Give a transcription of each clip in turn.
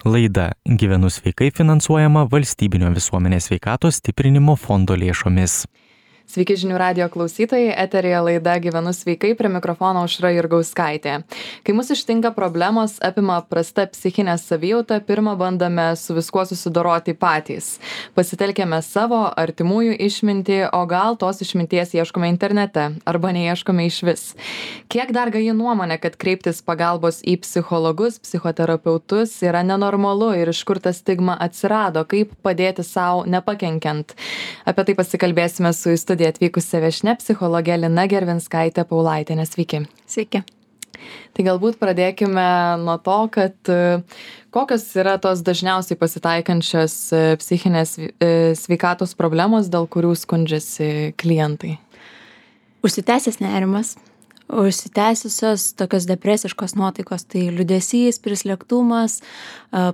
Laida Gyvenu sveikai finansuojama Valstybinio visuomenės sveikatos stiprinimo fondo lėšomis. Sveiki žinių radijo klausytojai, eteryje laida Gyvenu sveikai, prie mikrofono Aušra Jurgauskaitė. Kai mus ištinka problemos, apima prasta psichinė savijauta, pirmą bandome su viskuo susidoroti patys. Pasitelkėme savo artimųjų išmintį, o gal tos išminties ieškome internete, arba neieškome išvis. Kiek dar gaji nuomonė, kad kreiptis pagalbos į psichologus, psichoterapeutus yra nenormalu ir iš kur ta stigma atsirado, kaip padėti savo nepakenkiant. Apie tai pasikalbėsime su studiją atvykusia viešnia psichologė Lina Gervinskaitė Paulaitienė. Sveiki. Sveiki. Tai galbūt pradėkime nuo to, kad kokios yra tos dažniausiai pasitaikančios psichinės sveikatos problemos, dėl kurių skundžiasi klientai. Užsitęsęs nerimas, užsitęsusios tokios depresiškos nuotaikos, tai liūdesys, prislėgtumas,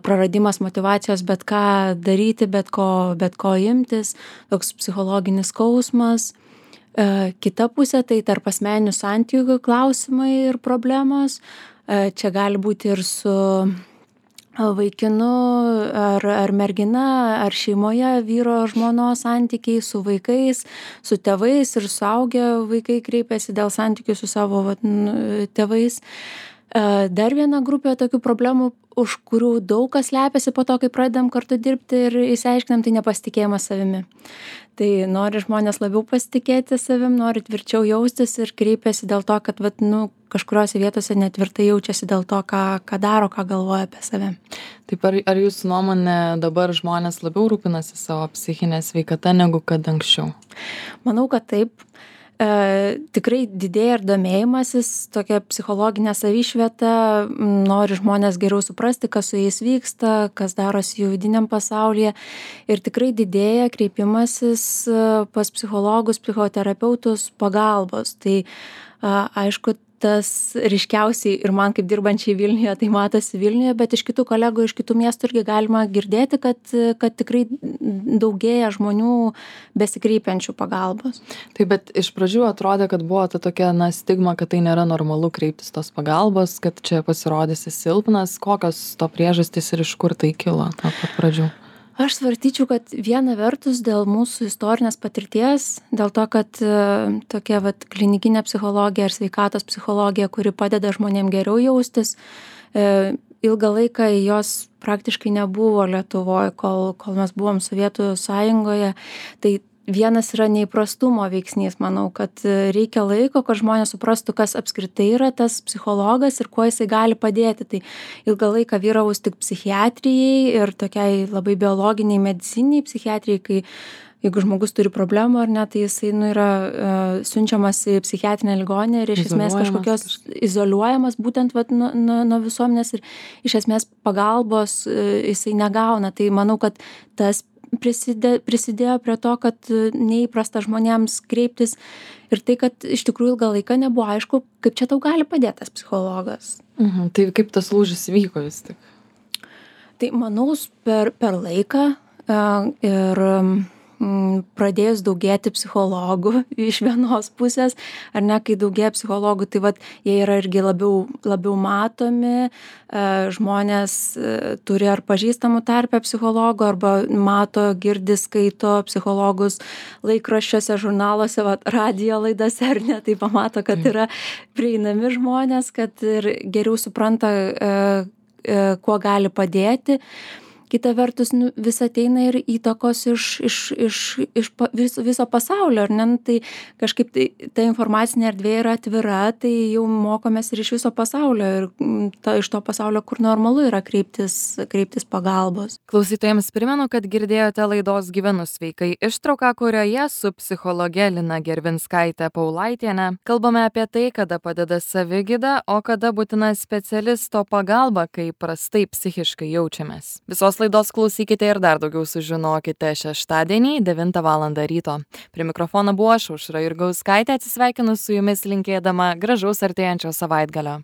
praradimas motyvacijos bet ką daryti, bet ko imtis, toks psichologinis skausmas. Kita pusė tai tarp asmeninių santykių klausimai ir problemos. Čia gali būti ir su vaikinu ar mergina, ar šeimoje vyro žmonos santykiai, su vaikais, su tėvais ir suaugę vaikai kreipiasi dėl santykių su savo tėvais. Dar viena grupė tokių problemų, už kurių daug kas slepiasi po to, kai pradedam kartu dirbti ir išsiaiškinam, tai nepasitikėjimas savimi. Tai nori žmonės labiau pasitikėti savim, nori tvirčiau jaustis ir kreipiasi dėl to, kad kažkuriuose vietose netvirtai jaučiasi dėl to, ką daro, ką galvoja apie save. Taip, ar jūsų nuomonė dabar žmonės labiau rūpinasi savo psichinę sveikatą negu kad anksčiau? Manau, kad taip. Tikrai didėja ir domėjimasis, tokia psichologinė savišvieta, nori žmonės geriau suprasti, kas su jais vyksta, kas darosi jų vidiniam pasaulyje, ir tikrai didėja kreipimasis pas psichologus, psichoterapeutus pagalbos. Tai aišku, tas ryškiausiai ir man kaip dirbančiai Vilniuje, tai matosi Vilniuje, bet iš kitų kolegų, iš kitų miestų irgi galima girdėti, kad tikrai daugėja žmonių besikreipiančių pagalbos. Taip, bet iš pradžių atrodė, kad buvo ta tokia stigma, kad tai nėra normalu kreiptis tos pagalbos, kad čia pasirodysi silpnas. Kokios to priežastys ir iš kur tai kilo nuo pat pradžių? Aš svarstyčiau, kad viena vertus dėl mūsų istorinės patirties, dėl to, kad tokia klinikinė psichologija ar sveikatos psichologija, kuri padeda žmonėm geriau jaustis, ilgą laiką jos praktiškai nebuvo Lietuvoje, kol mes buvom Sovietų Sąjungoje. Tai vienas yra neįprastumo veiksnys, manau, kad reikia laiko, kad žmonės suprastų, kas apskritai yra tas psichologas ir kuo jisai gali padėti. Tai ilgą laiką vyraus tik psichiatrijai ir tokiai labai biologiniai, mediciniai psichiatrijai, kai jeigu žmogus turi problemų ar ne, tai jisai yra siunčiamas į psichiatrinę ligoninę ir iš esmės kažkokios izoliuojamas būtent nuo visuomenės ir iš esmės pagalbos jisai negauna. Tai manau, kad tas prisidėjo prie to, kad neįprasta žmonėms kreiptis ir tai, kad iš tikrųjų ilgą laiką nebuvo aišku, kaip čia tau gali padėti tas psichologas. Tai kaip tas lūžis vyko vis tik? Tai manau, per laiką ir pradėjus daugėti psichologų iš vienos pusės, ar ne, kai daugėja psichologų, tai jie yra irgi labiau matomi, žmonės turi ar pažįstamų tarpę psichologų, arba mato, girdi, skaito psichologus laikraščiuose, žurnaluose, radijo laidose, ar ne, tai pamato, kad yra prieinami žmonės, kad ir geriau supranta, kuo gali padėti. Kita vertus, vis ateina ir įtakos iš viso pasaulio, ar ne? Tai kažkaip ta informacinė erdvė yra atvira, tai jau mokomės ir iš viso pasaulio ir iš to pasaulio, kur normalu yra kreiptis pagalbos. Klausytojams primenu, kad girdėjote laidos Gyvenu sveikai ištrauką, kurioje su psichologe Lina Gervinskaitė Paulaitienė kalbame apie tai, kada padeda savigyda, o kada būtina specialisto pagalba, kai prastai psichiškai jaučiamės. Visos laidos klausykite ir dar daugiau sužinokite šeštadienį 9 val. Ryto. Prie mikrofono buvo aš, Aušra Jurgauskaitė, atsisveikinu su jumis linkėdama gražaus artėjančio savaitgalio.